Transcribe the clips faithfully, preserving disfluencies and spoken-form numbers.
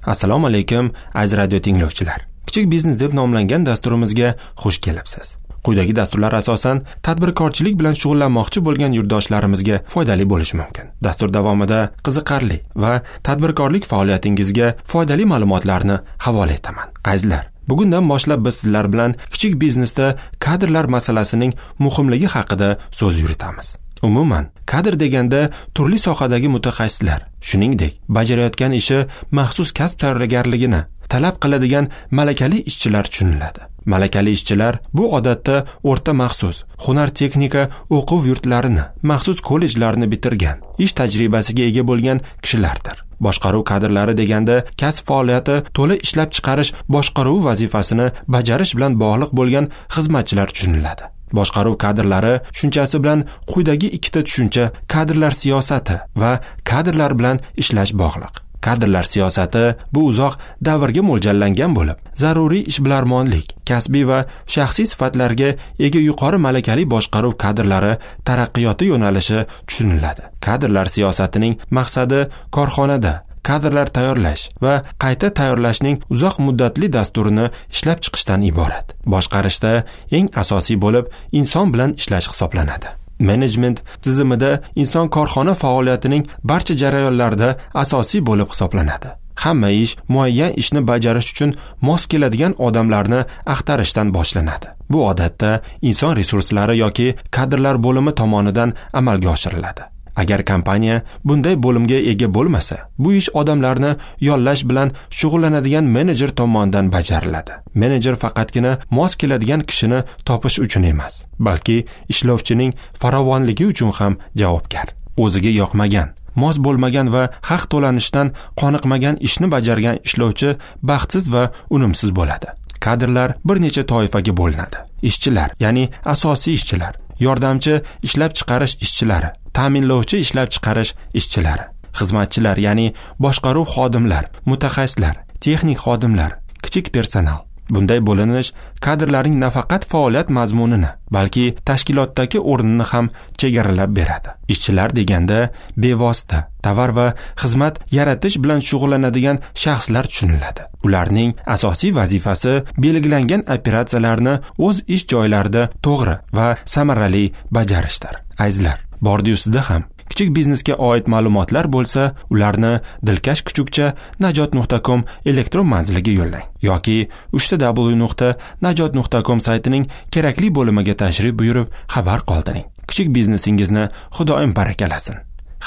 Assalomu alaykum, aziz radio tinglovchilar. Kichik biznes deb nomlangan dasturimizga xush kelibsiz. Quyidagi dasturlar asosan tadbirkorchilik bilan shug'ullanmoqchi bo'lgan yurtdoshlarimizga foydali bo'lishi mumkin. Dastur davomida qiziqarli va tadbirkorlik faoliyatingizga foydali ma'lumotlarni havola etaman. Azizlar, bugundan boshlab biz sizlar bilan kichik biznesda kadrlar masalasining muhimligi haqida so'z yuritamiz. Umuman, kadr deganda turli sohadagi mutaxassislar, shuningdek, bajarayotgan ishi maxsus kasb tayyorgarligini talab qiladigan malakali ishchilar tushuniladi. Malakali ishchilar bu odatda o'rta maxsus, hunar texnika o'quv yurtlarini, maxsus kollejlarni bitirgan, ish tajribasiga ega bo'lgan kishilardir. Boshqaruv kadrlari deganda kasb faoliyati to'la ishlab chiqarish boshqaruv vazifasini bajarish bilan bog'liq bo'lgan xizmatchilar tushuniladi. Boshqaruv kadrlari tushunchasi bilan quyidagi ikkita tushuncha kadrlar siyosati va kadrlar bilan ishlash bog'liq. Kadrlar siyosati bu uzoq davrga mo'ljallangan bo'lib, zaruriy ishbilarmonlik, kasbiy va shaxsiy sifatlarga ega yuqori malakali boshqaruv kadrlari taraqqiyoti yo'nalishi tushuniladi. Kadrlar siyosatining maqsadi korxonada kadrlar tayyorlash va qayta tayyorlashning uzoq muddatli dasturini ishlab chiqishdan iborat. Boshqarishda eng asosiy bo'lib inson bilan ishlash hisoblanadi. Menejment tizimida inson korxona faoliyatining barcha jarayonlarida asosiy bo'lib hisoblanadi. Hamma ish muayyan ishni bajarish uchun mos keladigan odamlarni axtarishdan boshlanadi. Bu odatda inson resurslari yoki kadrlar bo'limi tomonidan amalga oshiriladi. Agar kompaniya bunday bo'limga ega bo'lmasa, bu ish odamlarni yollash bilan shug'ullanadigan menejer tomonidan bajariladi. Menejer faqatgina mos keladigan kishini topish uchun emas, balki ishlovchining farovonligi uchun ham javobgar. O'ziga yoqmagan, mos bo'lmagan va haq to'lanishdan qoniqmagan ishni bajargan ishlovchi baxtsiz va unumsiz bo'ladi. Kadrlar bir necha toifaga bo'linadi. Ishchilar, ya'ni asosiy ishchilar, yordamchi ishlab chiqarish ishchilari, ta'minlovchi ishlab chiqarish ishchilari, xizmatchilar, ya'ni boshqaruv xodimlar, mutaxassislar, texnik xodimlar, kichik personal. Bunday bo'linish kadrlarning nafaqat faoliyat mazmunini, balki tashkilotdagi o'rnini ham chegaralab beradi. Ishchilar deganda bevosita tovar va xizmat yaratish bilan shug'ullanadigan shaxslar tushuniladi. Ularning asosiy vazifasi belgilangan operatsiyalarni o'z ish joylarida to'g'ri va samarali bajarishdir. Azizlar, bordi-yu sizda ham kichik biznesga oid ma'lumotlar bo'lsa, ularni dilkash kuchukcha najot nuqta com elektron manziliga yo'llang yoki uchta w nuqta najot nuqta com saytining kerakli bo'limiga tashrif buyurib xabar qoldiring. Kichik biznesingizni Xudoyim barakalasin.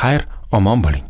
Xayr, omon bo'ling.